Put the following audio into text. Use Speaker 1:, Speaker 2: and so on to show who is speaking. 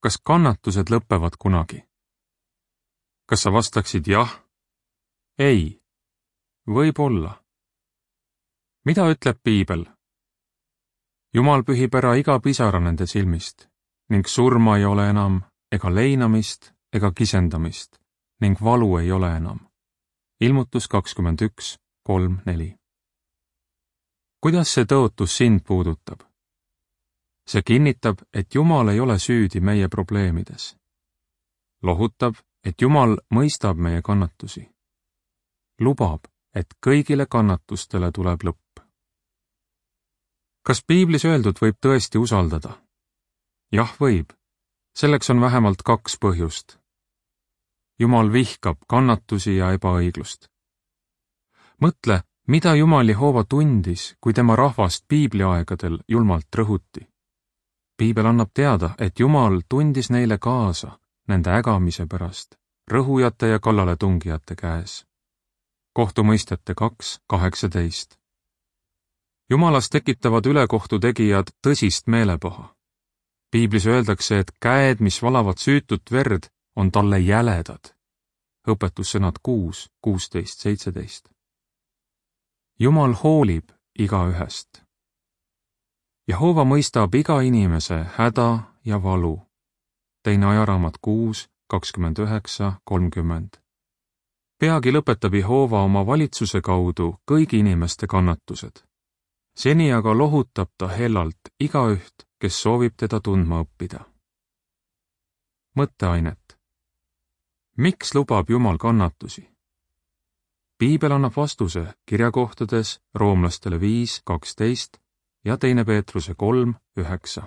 Speaker 1: kas kannatused lõpevad kunagi? Kas sa vastaksid jah? Ei. Võib-olla. Mida ütleb Piibel? Jumal pühib ära iga pisara nende silmist ning surma ei ole enam ega leinamist ega kisendamist ning valu ei ole enam. Ilmutus 21:3-4. Kuidas see tõotus sind puudutab? See kinnitab, et Jumal ei ole süüdi meie probleemides. Lohutab, et Jumal mõistab meie kannatusi. Lubab, et kõigile kannatustele tuleb lõpp. Kas Piiblis öeldud võib tõesti usaldada? Jah, võib. Selleks on vähemalt 2 põhjust. Jumal vihkab kannatusi ja ebaõiglust. Mõtle, mida Jumal Jehova tundis, kui tema rahvast piibliaegadel julmalt rõhuti. Piibel annab teada, et Jumal tundis neile kaasa nende ägamise pärast, rõhujate ja kallaletungijate käes. Kohtumõistjate 2:18. Jumalas tekitavad ülekohtu tegijad tõsist meelepaha. Piiblis öeldakse, et käed, mis valavad süütut verd, on talle jäledad. Õpetussõnad 6:16-17. Jumal hoolib igaühest. Jehova mõistab iga inimese häda ja valu. Teine ajaraamat 6:29-30. Peagi lõpetab Jehova oma valitsuse kaudu kõigi inimeste kannatused. Seni aga lohutab ta hellalt igaüht, kes soovib teda tundma õppida. Mõtteainet. Miks lubab Jumal kannatusi? Piibel annab vastuse kirjakohtades Roomlastele 5:12 ja 2 Peetruse 3:9.